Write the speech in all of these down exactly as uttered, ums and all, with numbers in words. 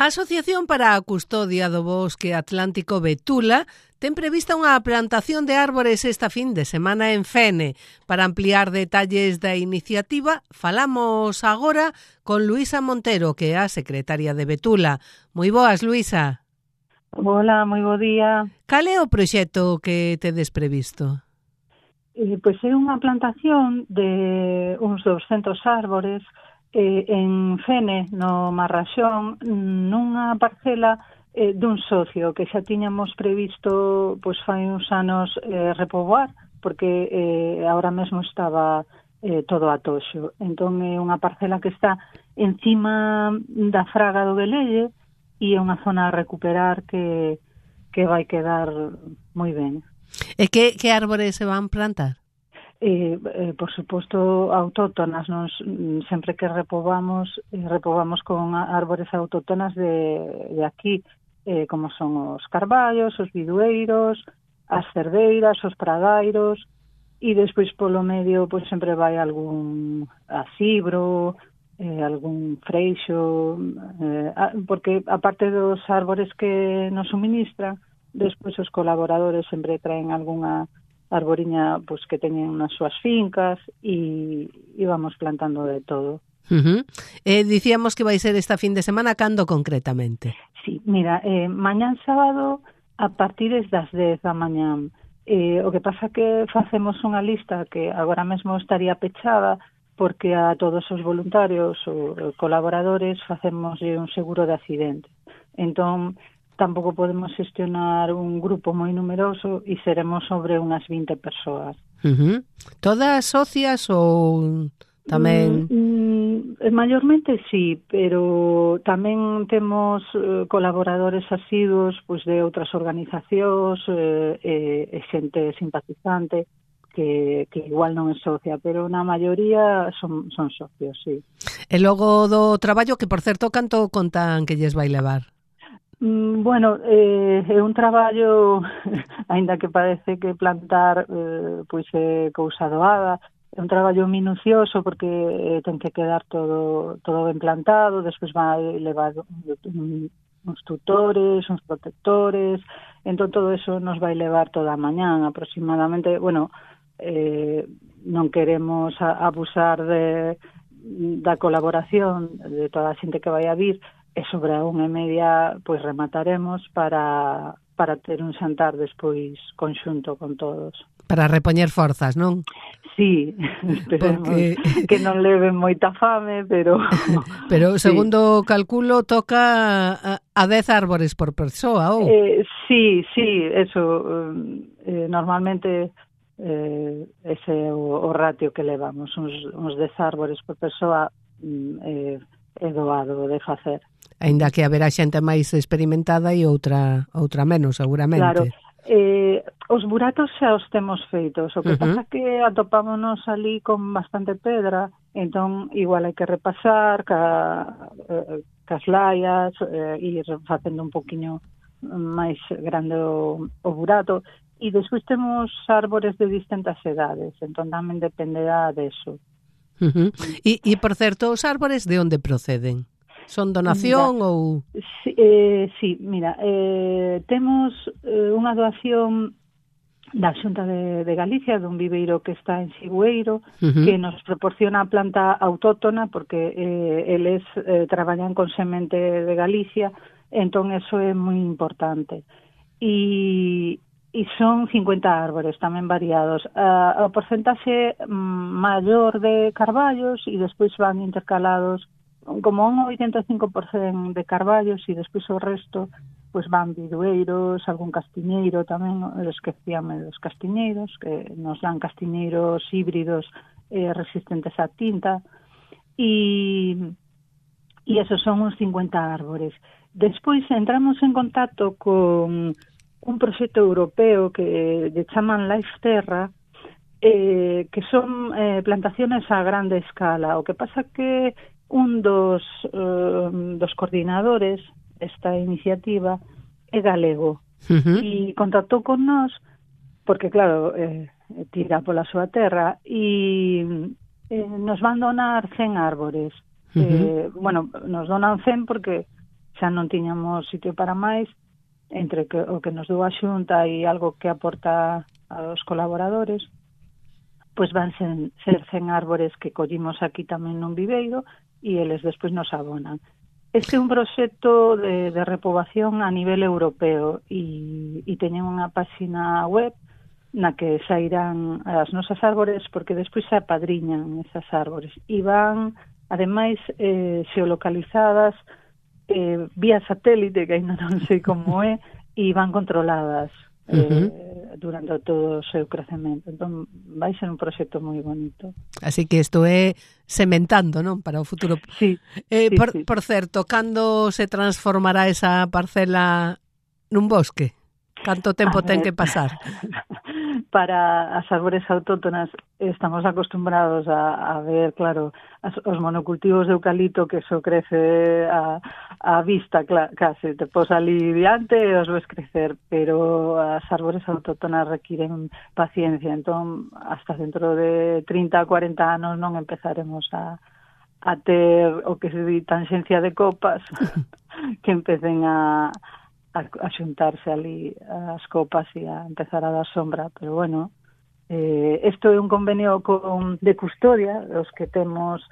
A Asociación para a Custodia do Bosque Atlántico Betula ten prevista unha plantación de árbores esta fin de semana en Fene. Para ampliar detalles da iniciativa, falamos agora con Luisa Montero, que é a secretaria de Betula. Moi boas, Luisa. Hola, moi bo día. Cal é o proxecto que tedes previsto? Eh, pois é unha plantación de uns doscentos árbores eh, en Fene, no Marraxón, nunha parcela eh, dun socio que xa tiñamos previsto pois fai uns anos eh, repoboar, porque eh, ahora mesmo estaba eh, todo a toxo. Entón é unha parcela que está encima da fraga do Velelle e é unha zona a recuperar que, que vai quedar moi ben. E que, que árbores se van plantar? Eh, eh, por suposto, autóctonas. Nos, sempre que repobamos, eh, repobamos con árbores autóctonas de, de aquí, eh, como son os carballos, os bidueiros, as cerdeiras, os pradairos, e despois polo medio pois sempre vai algún acibro, eh, algún freixo, eh, porque aparte dos árbores que nos suministran, despois os colaboradores sempre traen algunha arboriña pois que teñen nas súas fincas e, e vamos plantando de todo. Uh-huh. Eh, dicíamos que vai ser esta fin de semana, cando concretamente? Sí, mira, eh, mañán sábado a partir das dez da mañán. Eh, o que pasa que facemos unha lista que agora mesmo estaría pechada porque a todos os voluntarios ou colaboradores facemos un seguro de accidente. Entón, tampouco podemos xestionar un grupo moi numeroso e seremos sobre unhas vinte persoas. Uh-huh. Todas socias ou tamén? Mm, mm, mayormente sí, pero tamén temos eh, colaboradores asiduos pois, de outras organizacións eh, e, e xente simpatizante que, que igual non é socia, pero na maioría son, son socios, sí. E logo do traballo, que por certo, canto contan que lles vai levar? Bueno, eh, é un traballo, aínda que parece que plantar eh, pois é cousa doada, é un traballo minucioso porque eh, ten que quedar todo todo ben plantado, despois vai levar uns tutores, uns protectores, entón todo eso nos vai levar toda a mañán aproximadamente. Bueno, eh, non queremos a, abusar de, da colaboración de toda a xente que vai a vir, e sobre a unha e media pois remataremos para, para ter un xantar despois conxunto con todos. Para repoñer forzas, non? Sí, esperemos porque... que non leven moita fame, pero... Pero segundo sí. Calculo toca a, a dez árbores por persoa, ou? Eh, sí, sí, eso, eh, normalmente eh, ese é o, o ratio que levamos, uns, uns dez árbores por persoa eh, é doado de facer. Aínda que haberá xente máis experimentada e outra outra menos, seguramente. Claro, eh, os buratos xa os temos feitos, o que uh-huh. pasa que atopámonos ali con bastante pedra, entón igual hai que repasar ca, eh, cas laias eh, e ir facendo un poquinho máis grande o, o burato, e despois temos árbores de distintas edades, entón tamén dependerá deso. Uh-huh. E, e, por certo, os árbores de onde proceden? Son donación mira, ou...? Sí, eh, sí mira, eh, temos eh, unha doación da Xunta de, de Galicia, dun viveiro que está en Sigüeiro, uh-huh. que nos proporciona a planta autóctona, porque eh, eles eh, traballan con semente de Galicia, entón eso é moi importante. E... e son cincuenta árbores tamén variados. Uh, o porcentaxe um, maior de carballos e despois van intercalados como un oitenta e cinco por cento de carballos e despois o resto pois van bidueiros, algún castiñeiro tamén, esquecíame dos castiñeiros, que nos dan castiñeiros híbridos eh, resistentes á tinta e, e esos son uns cincuenta árbores. Despois entramos en contacto con un proxecto europeo que lle chaman Life Terra, eh, que son eh, plantaciones a grande escala. O que pasa que un dos, eh, dos coordinadores desta iniciativa é galego, uh-huh. e contactou con nós porque, claro, eh, tira pola súa terra e eh, nos van donar cen árbores. Uh-huh. Eh, bueno, nos donan cen porque xa non tiñamos sitio para máis, entre que, o que nos dou a Xunta e algo que aporta aos colaboradores, pois van ser, ser cen árbores que collimos aquí tamén nun viveiro e eles despois nos abonan. Este é un proxecto de, de repobación a nivel europeo e, e teñen unha páxina web na que sairán as nosas árbores porque despois se apadriñan esas árbores e van, ademais, eh, xeolocalizadas eh, vía satélite, que ainda non sei como é, e van controladas eh, uh-huh. durante todo o seu crecemento. Entón, vai ser un proxecto moi bonito. Así que isto é sementando, non? Para o futuro. Sí, eh, sí, por, sí. por certo, cando se transformará esa parcela nun bosque? Canto tempo ten que pasar? Para as árbores autóctonas estamos acostumbrados a, a ver, claro, as, os monocultivos de eucalipto que eso crece a, a vista, cla, case, te pos ali diante e os ves crecer, pero as árbores autóctonas requiren paciencia, entón, hasta dentro de trinta a cuarenta anos non empezaremos a, a ter o que se di tanxencia de copas que empecen a A, a xuntarse ali as copas e a empezar a dar sombra, pero bueno, eh, isto é un convenio con, de custodia, os que temos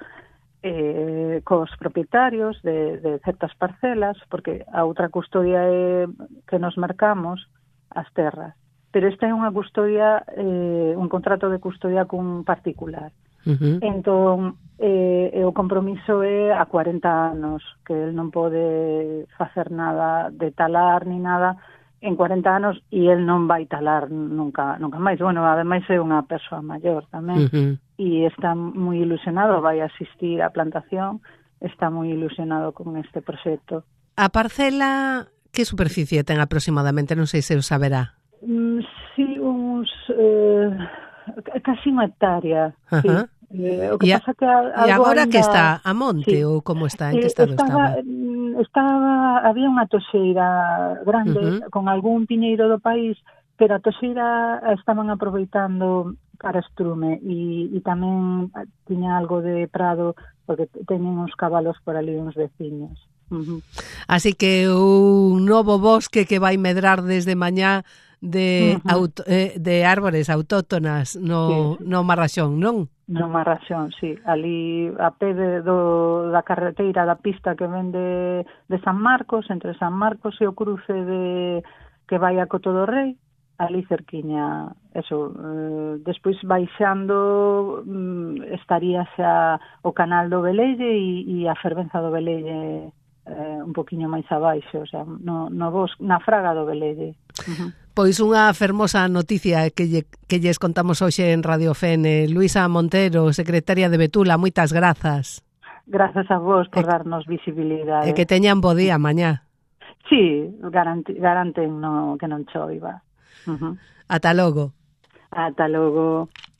eh, cos propietarios de, de certas parcelas, porque a outra custodia é que nos marcamos as terras, pero esta é unha custodia, eh, un contrato de custodia cun particular. Uh-huh. Entón, eh, o compromiso é a cuarenta anos, que el non pode facer nada de talar ni nada en cuarenta anos e el non vai talar nunca, nunca máis. Bueno, ademais é unha persoa maior tamén, uh-huh. e está moi ilusionado, vai asistir á plantación, está moi ilusionado con este proxecto. A parcela, que superficie ten aproximadamente? Non sei se o saberá. Mm, sí, uns... Eh, casi unha hectárea, uh-huh. sí. Eh, o que e, pasa que algo e agora ainda... que está a monte, sí. ou como está, en que estado estaba, estaba? Estaba, había unha toxeira grande, uh-huh. con algún piñeiro do país, pero a toxeira estaban aproveitando para estrume e, e tamén tiña algo de prado, porque teñen uns cabalos por ali, uns veciños. Uh-huh. Así que un novo bosque que vai medrar desde mañá de, uh-huh. auto, eh, de árbores autóctonas no, sí. no Marraxón, non? No Marraxón, sí. Ali a pé de, do, da carreteira da pista que ven de, de San Marcos, entre San Marcos e o cruce de que vai a Coto do Rei, ali cerquiña, eso, eh, despois baixando mm, estaría xa o canal do Velelle e, e a fervenza do Velelle eh, un poquinho máis abaixo, o sea, no, no bosque, na fraga do Velelle. Uh-huh. Pois unha fermosa noticia que, lle, que lles contamos hoxe en Radio Fene. Luisa Montero, secretaria de Betula, moitas grazas. Grazas a vos por e, darnos visibilidade. E que teñan bo día mañá. Sí, garanten, garanten no, que non choiva. Uh-huh. Ata logo. Ata logo.